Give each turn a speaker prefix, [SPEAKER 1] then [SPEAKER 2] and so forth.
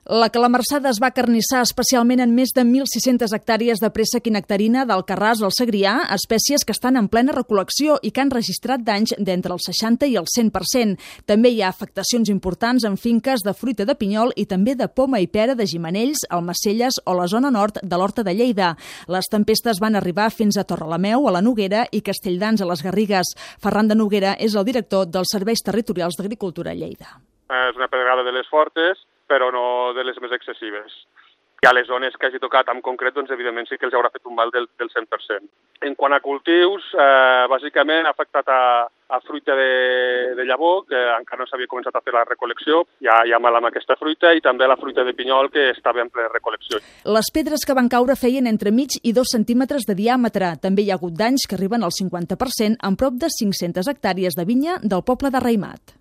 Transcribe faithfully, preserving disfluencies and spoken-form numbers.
[SPEAKER 1] La calamarsada es va carnissar especialment en més de mil sis-centes hectàrees de préssec i nectarina d'Alcarràs al Segrià, espècies que estan en plena recol·lecció i que han registrat danys d'entre el seixanta i el cent per cent. També hi ha afectacions importants en finques de fruita de pinyol i també de poma i pera de Gimenells, Almacelles o la zona nord de l'Horta de Lleida. Les tempestes van arribar fins a Torrelameu, a la Noguera, i Castelldans, a les Garrigues. Ferran de Noguera és el director dels Serveis Territorials d'Agricultura a Lleida.
[SPEAKER 2] És una pedregada de les fortes, però no de les més excessives. I a les zones que hagi tocat en concret, doncs, evidentment, sí que els haurà fet un mal del, del cent per cent. En quant a cultius, eh, bàsicament ha afectat a, a fruita de, de llavor, que encara no s'havia començat a fer la recol·lecció, ja hi ha mal amb aquesta fruita, i també la fruita de pinyol, que estava en plena recol·lecció.
[SPEAKER 1] Les pedres que van caure feien entre mig i dos centímetres de diàmetre. També hi ha hagut danys que arriben al cinquanta per cent en prop de cinc-centes hectàrees de vinya del poble de Raimat.